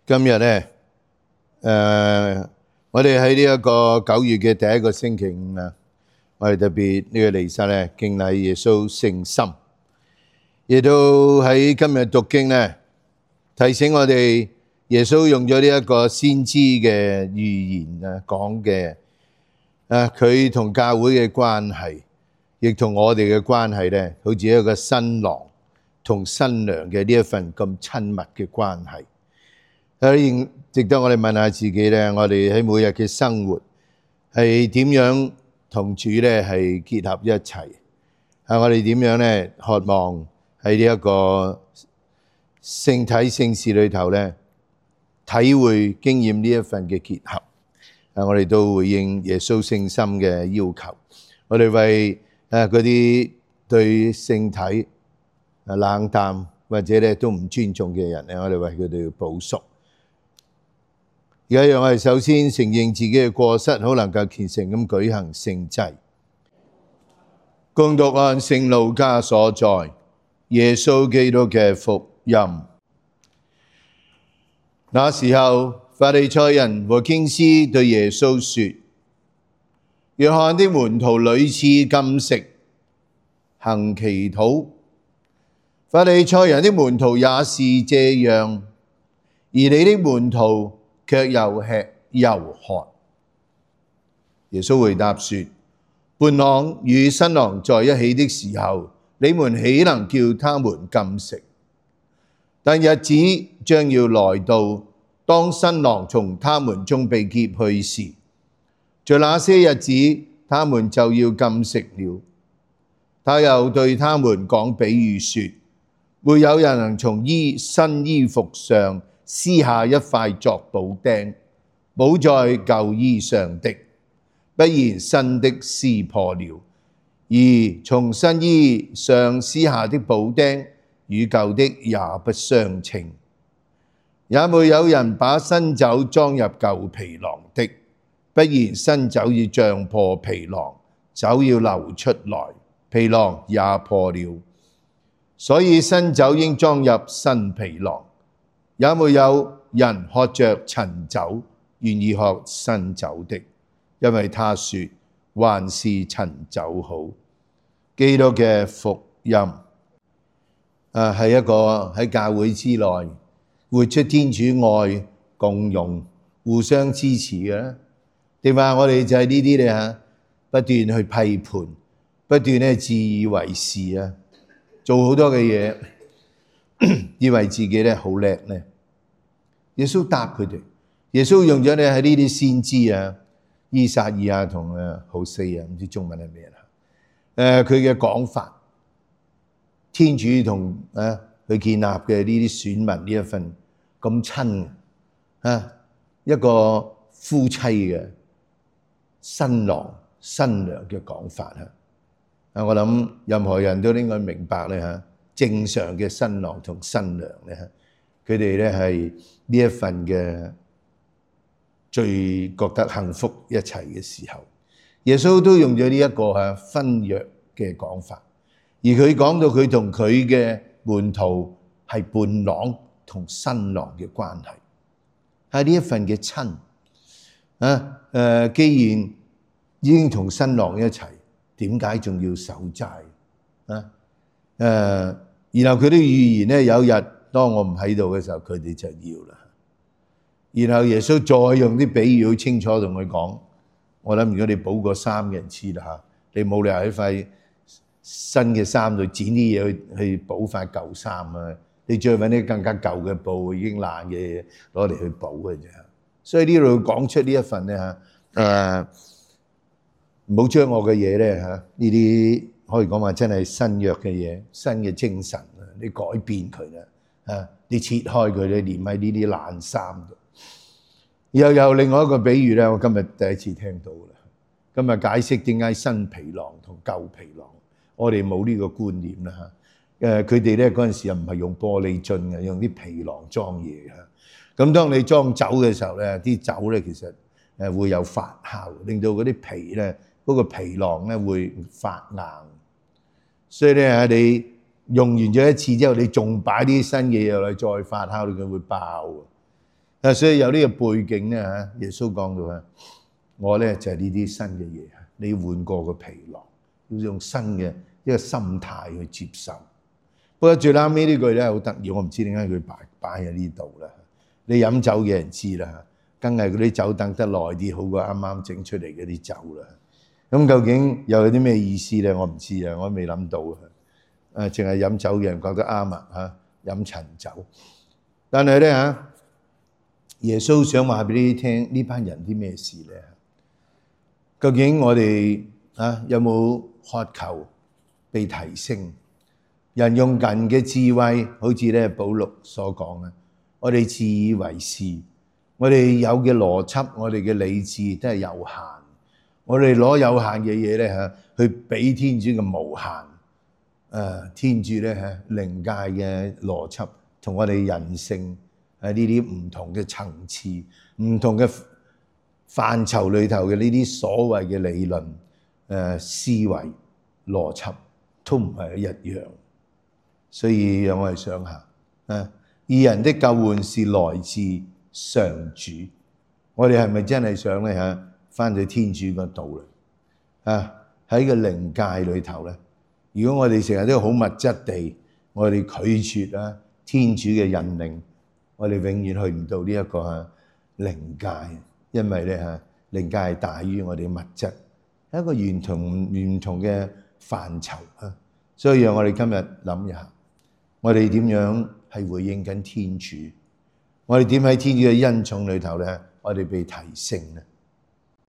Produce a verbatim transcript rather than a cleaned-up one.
今日咧，誒，我哋喺呢一個九月嘅第一個星期五啊，我哋特別呢個彌撒咧敬禮耶穌聖心，亦都喺今日讀經咧提醒我哋，耶穌用咗呢一個先知嘅預言啊講嘅，啊佢同教會嘅關係，亦同我哋嘅關係咧，好似一個新郎同新娘嘅呢一份咁親密嘅關係。誒，值得我哋問下自己咧，我哋喺每日嘅生活係點樣同主咧係結合一齊？係我哋點樣咧渴望喺呢一個聖體聖事裏頭咧體會經驗呢一份嘅結合？啊，我哋都回應耶穌聖心嘅要求。我哋為誒嗰啲對聖體啊冷淡或者咧都唔尊重嘅人咧，我哋為佢哋補贖。而家讓我哋首先承認自己嘅過失，好能夠虔誠咁舉行聖祭。恭讀按聖路加所載耶穌基督嘅福音。那時候，法利賽人和經師對耶穌說：約翰的門徒屢次禁食，行祈禱，法利賽人的門徒也是這樣，而你的門徒卻又吃又喝。耶穌回答說：伴郎與新郎在一起的時候，你們豈能叫他們禁食？但日子將要來到，當新郎從他們中被劫去時，在那些日子，他們就要禁食了。他又對他們講比喻說：沒有人能從衣新衣服上撕下一塊作補釘，補在舊衣上的，不然新的撕破了，而從新衣上撕下的補釘與舊的也不相稱。也沒有人把新酒裝入舊皮囊的，不然新酒要脹破皮囊，酒要流出來，皮囊也破了。所以新酒應裝入新皮囊。也沒有人喝着陳酒願意喝新酒的，因為他說還是陳酒好。基督嘅福音啊，係一個喺教會之內活出天主愛、共融、互相支持嘅。定話我哋就係呢啲咧嚇，不斷去批判，不斷咧自以為是啊，做好多嘅嘢，以為自己咧好叻咧。耶穌答佢哋，耶穌用咗咧喺呢啲先知啊，依撒意亞同誒好四啊，唔知中文係咩啦？誒佢嘅講法，天主同誒佢建立嘅呢啲選民呢一份咁親啊，一個夫妻嘅新郎新娘嘅講法啊！啊，我諗任何人都應該明白咧嚇，正常嘅新郎同新娘咧嚇。佢哋咧係呢一份嘅最覺得幸福一齊嘅時候，耶穌都用咗呢一個嚇婚約嘅講法，而佢講到佢同佢嘅門徒係伴郎同新郎嘅關係，係呢一份嘅親啊誒，既然已經同新郎一齊，點解仲要守齋啊？誒，然後佢都預言咧有日，當我唔喺度嘅時候，佢哋就要啦。然後耶穌再用啲比喻好清楚同佢講，我諗如果你補過衫嘅人知啦嚇，你冇理由喺塊新嘅衫度剪啲嘢去去補塊舊衫啊！你再揾啲更加舊嘅布，已經爛嘅嘢攞嚟去補嘅啫。所以呢度講出呢一份咧嚇，誒唔好將我嘅嘢咧嚇，呢啲可以講話真係新約嘅嘢，新嘅精神啊，你改變佢啦。啊！你切開佢，你連喺呢啲爛衫度。又有另外一個比喻咧，我今日第一次聽到啦。今日解釋點解新皮囊同舊皮囊，我哋冇呢個觀念啦嚇。誒，佢哋咧嗰陣時又唔係用玻璃樽嘅，用啲皮囊裝嘢嘅。咁當你裝酒嘅時候咧，啲酒咧其實誒會有發酵，令到嗰啲皮咧嗰個皮囊咧會發硬。所以咧你用完咗一次之後，你仲擺啲新嘅嘢落去再發酵，佢會爆啊，所以有呢個背景咧嚇，耶穌講到啊，我咧就係呢啲新嘅嘢，你要換過個疲勞，要用新嘅一個心態去接受。不過最啱尾呢句咧好得意，我唔知點解佢擺擺喺呢度啦。你飲酒嘅人知啦，梗係嗰啲酒等得耐啲，好過啱啱整出嚟嗰啲酒啦。咁究竟又有啲咩意思咧？我唔知啊，我都未諗到啊。誒，淨係飲酒嘅人覺得啱啊嚇，飲陳酒。但係咧嚇，耶穌想話俾你聽，呢班人啲咩事咧？究竟我哋啊有冇渴求被提升？人用人嘅智慧，好似咧保祿所講啊，我哋自以為是，我哋有嘅邏輯，我哋嘅理智都係有限。我哋攞有限嘅嘢咧嚇，去俾天主嘅無限。誒、呃，天主咧嚇靈界嘅邏輯，同我哋人性喺呢啲唔同嘅層次、唔同嘅範疇裏頭嘅呢啲所謂嘅理論、誒、呃、思維、邏輯，都唔係一樣。所以讓我哋想下，啊，義人的救援是來自上主。我哋係咪真係想咧嚇返到天主嗰度咧？啊，喺個靈界裏頭咧，如果我哋成日都好物質地，我哋拒絕啊天主嘅引領，我哋永遠去唔到呢一個啊靈界，因為咧嚇靈界係大於我哋物質，係一個完同唔同嘅範疇啊。所以讓我哋今日諗一下。我哋點樣係回應緊天主？我哋點喺天主嘅恩寵裏頭咧？我哋被提升咧？